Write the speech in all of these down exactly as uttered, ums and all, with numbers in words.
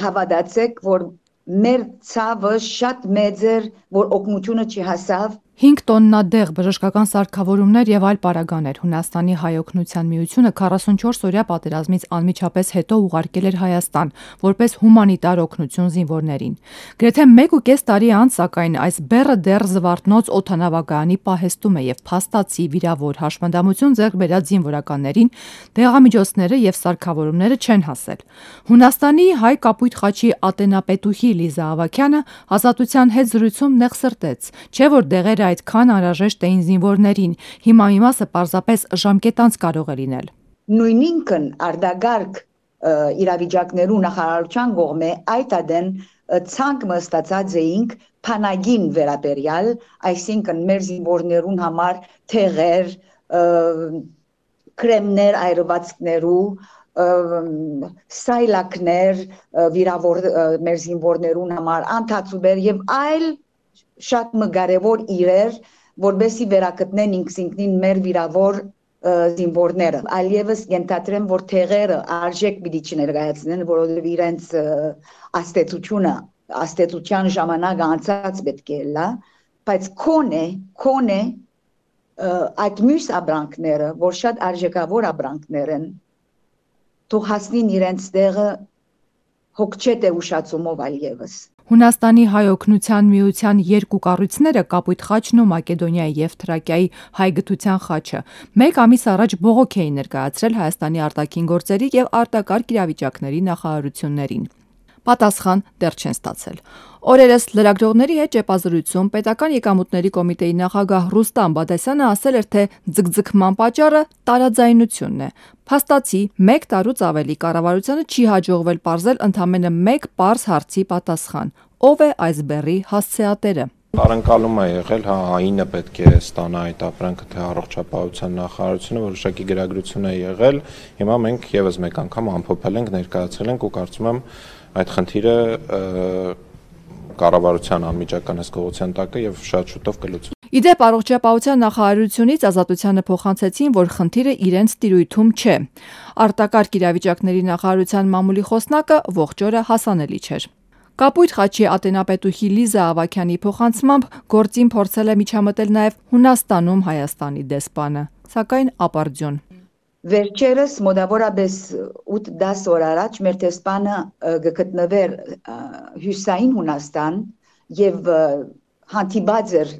Հավատացեք, որ մեր ցավը շատ մեծ էր, որ օգնությունը չհասավ։ հինգ տոննա դեղ, բժշկական սարքավորումներ եւ այլ պարագաներ Հունաստանի հայօգնության միությունը քառասունչորս օրյա պատերազմից անմիջապես հետո ուղարկել էր Հայաստան, որպես հումանիտար օգնություն զինվորներին։ Գրեթե մեկ ու կես տարի անց, սակայն այս բեռը դեռ Զվարթնոց օդանավակայանի պահեստում է եւ փաստացի վիրավոր հաշմանդամություն ձեռք բերած զինվորականներին դեղամիջոցները եւ սարքավորումները չեն հասել։ Հունաստանի հայ կապույտ խաչի ատենապետուհի Լիզա Ավագյանը Ազատության հետ զրույցում նեղսրտեց, չէ՞ որ դեղերը այդքան անհրաժեշտ էին զինվորներին, հիմա մի մասը պարզապես ժամկետանց կարող է լինել։ Նույնինքն արդագարգ իրավիճակներու նախարարության կողմէ այդ ադեն ցանկ մստացած էինք փանագին վերաբերյալ, այսինքն մեր զինվորներուն համար թեղեր, կրեմներ այրվածքներու, սայլակներ վիրավոր մեր զինվորներուն համար, անթացուբեր եւ այլ շատ կարևոր իրեր, որբեսի վերակտնեն ինքնին մեր վիրավոր զինվորները։ Այլևս ենթադրեմ, որ թեղերը արժեք պիտի չներկայացնեն, որովհետև իրենց աստեցությունը, աստեցության ժամանակը անցած պետք է լա, բայց քոնե, քոնե այդ մյուս ապրանքները, որ շատ արժեքավոր ապրանքներ են, թող հասնին իրենց տեղը հոգչետ է ուշացումով այլևս։ Հունաստանի հայօգնության միության երկու կառույցները Կապույտ խաչն ու Մակեդոնիայի եւ Թրակիայի հայ գթության խաչը մեկ ամիս առաջ բողոք էին ներկայացրել Հայաստանի արտաքին գործերի եւ արտակարգ իրավիճակների նախարարություններին։ Պատասխան դեռ չեն ստացել։ Օրերս լրագրողների հետ ճեպազրույցում Պետական եկամուտների կոմիտեի նախագահ Ռուստամ Բադասյանը ասել էր, թե ձգձգման պատճառը տարաձայնությունն է։ Փաստացի մեկ տարուց ավելի կառավարությանը չի հաջողվել պարզել ընդամենը մեկ պարզ հարցի պատասխան. ով է այս բեռի հասցեատերը։ Առընկալում է եղել, հա, ԱԻՆ-ը պետք է ստանա այդ ապրանքը, թե առողջապահության նախարարությունը, որոշակի գրագրություն է եղել։ Հիմա մենք եւս մեկ անգամ ամփոփել ենք, ներկայացրել ենք ու կարծում եմ այդ խնդիրը կառավարության անմիջական հսկողության տակ է եւ շատ շուտով կլուծվի։ Իդեպ առողջապահության նախարարությունից Ազատությանը փոխանցեցին, որ խնդիրը իրենց տիրույթում չէ։ Արտակարգ իրավիճակների նախարարության մամուլի խոսնակը ողջ օրը հասանելի չէր։ Կապույտ խաչի ատենապետուհի Լիզա Ավագյանի փոխանցմամբ գործին փորձել է միջամտել նաև Հունաստանում Հայաստանի դեսպանը, սակայն ապարդյուն։ Վերջերս մոտավորապես ութ-դաս օր առաջ մեր դեսպանը գտնվեր Հյուսային Հունաստան եւ հանդիպած էր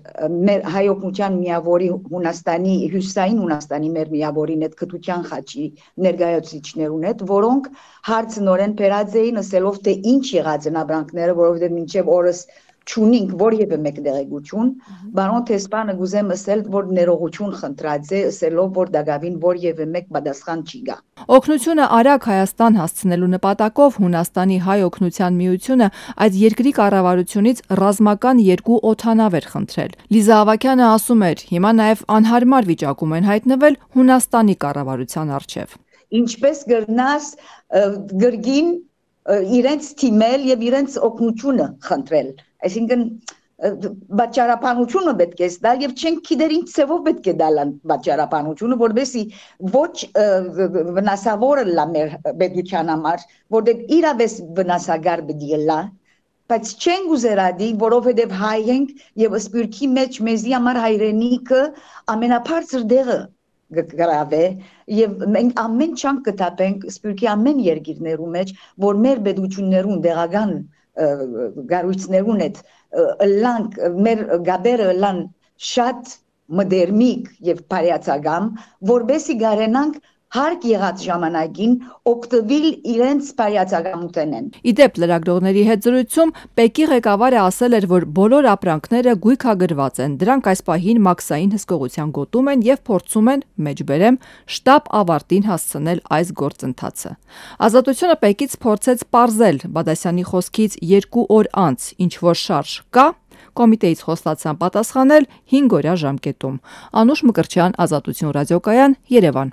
մեր հայօգնության միավորի Հունաստանի Հյուսային Հունաստանի մեր միավորին այդ գթության խաչի ներկայացուցիչներուն հետ, որոնք հարցնորեն բերած էին ասելով թե ինչ եղած են ապրանքները, որովհետեւ մինչեւ օրս չունինք որևէ մեկ դեղեցություն, բարոն դեսպանը գուզեմ ասել, որ ներողություն խնդրած է, ասելով, որ դակավին որևէ մեկ պատասխան չի գա։ Օգնությունը արագ Հայաստան հասցնելու նպատակով Հունաստանի հայօգնության միությունը այդ երկրի կառավարությունից ռազմական երկու օդանավ էր խնդրել։ Լիզա Ավագյանը ասում էր, հիմա նաև անհարմար վիճակում են հայտնվել Հունաստանի կառավարության առջև։ Ինչպես գրնաս գրգին իրենց թիմել եւ իրենց օգնությունը խնդրել, այսինքն բաճարապանությունը պետք է ստալ եւ չենք գիտեր ինչ ծավով պետք է դալ բաճարապանությունը, որովհետեւ ոչ վնասավոր լա մեր պետության համար, որտեղ իրավես վնասագար պետք է լա, բայց չենք ուզերադի, որովհետեւ հայ ենք եւ սպյուրքի մեջ մեզի համար հայրենիքը ամենաբարձր դեղը գրավե եւ մենք ամեն չանք կտապենք սպյուրքի ամեն երկիրներու մեջ, որ մեր պետություններուն դեղական գարույցներուն հետ լանք մեր գաբերը լան շատ մոդեռնիկ եւ բարյացակամ, որբեսի գարենանք հարկ եղած ժամանակին օգտվել իրենց բարյացակամութենեն։ Իդեպ լրագրողների հետ զրույցում Պեկի ղեկավարը ասել էր, որ բոլոր ապրանքները գույքագրված են, դրանք այս պահին մաքսային հսկողության գոտում են եւ փորձում են, մեջբերեմ, շտապ ավարտին հասցնել այս գործընթացը։ Ազատությունը Պեկից փորձեց պարզել Բադասյանի խոսքից երկու օր անց, ինչ որ շարժ կա, կոմիտեից խոստացան պատասխանել հինգ օրյա ժամկետում։ Անուշ Մկրտչյան, Ազատություն ռադիոկայան, Երևան։